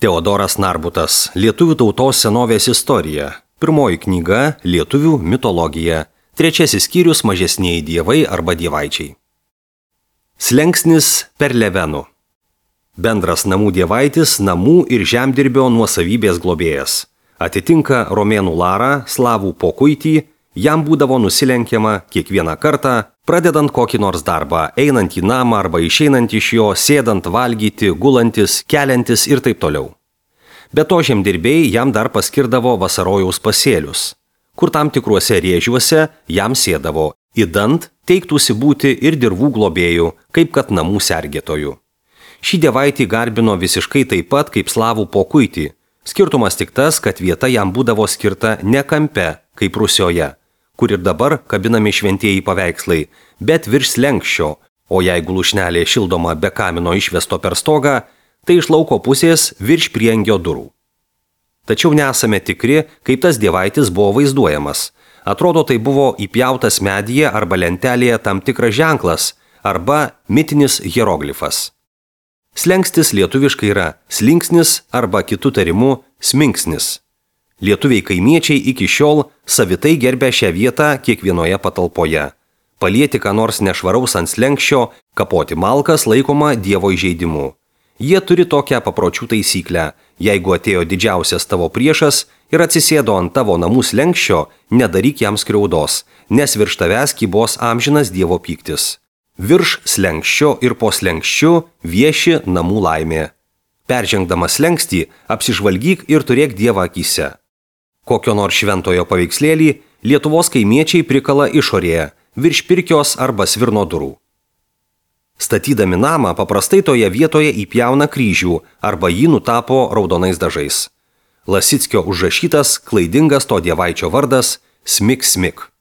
Teodoras Narbutas, Lietuvių tautos senovės istorija. Pirmoji knyga – Lietuvių mitologija. Trečiasis skyrius – mažesnieji dievai arba dievaičiai. Slenksnis per Levenų. Bendras namų dievaitis, namų ir žemdirbio nuosavybės globėjas. Atitinka romėnų larą, slavų pokuitį, jam būdavo nusilenkiama kiekvieną kartą, pradedant kokį nors darbą, einant į namą arba išeinant iš jo, sėdant valgyti, gulantis, keliantis ir taip toliau. Be to žemdirbėjai jam dar paskirdavo vasarojaus pasėlius, kur tam tikruose rėžiuose jam sėdavo, idant teiktųsi būti ir dirvų globėjų, kaip kad namų sergėtojų. Šį dievaitį garbino visiškai taip pat kaip slavų pokuitį. Skirtumas tik tas, kad vieta jam būdavo skirta ne kampe, kaip Rusijoje, kur ir dabar kabinami šventieji paveikslai, bet virš slenkščio, o jeigu lūšnelė šildoma be kamino išvesto per stogą, tai iš lauko pusės virš priengio durų. Tačiau nesame tikri, kaip tas dievaitis buvo vaizduojamas. Atrodo, tai buvo įpjautas medyje arba lentelėje tam tikras ženklas arba mitinis hieroglifas. Slengstis lietuviškai yra slinksnis arba kitų tarimu sminksnis. Lietuviai kaimiečiai iki šiol savitai gerbė šią vietą kiekvienoje patalpoje. Palieti ką nors nešvaraus ant slenkščio, kapoti malkas laikoma dievo įžeidimu. Jie turi tokią papročių taisyklę. Jeigu atėjo didžiausias tavo priešas ir atsisėdo ant tavo namų slenkščio, nedaryk jam skriaudos, nes virš tavęs kybos amžinas dievo pyktis. Virš slenkščio ir po slenkščiu vieši namų laimė. Peržengdamas slenkstį, apsižvalgyk ir turėk dievą akyse. Kokio nors šventojo paveikslėlį Lietuvos kaimiečiai prikala išorėje, virš pirkios arba svirno durų. Statydami namą paprastai toje vietoje įpjauna kryžių arba jį nutapo raudonais dažais. Lasickio užrašytas klaidingas to dievaičio vardas Smik Smik.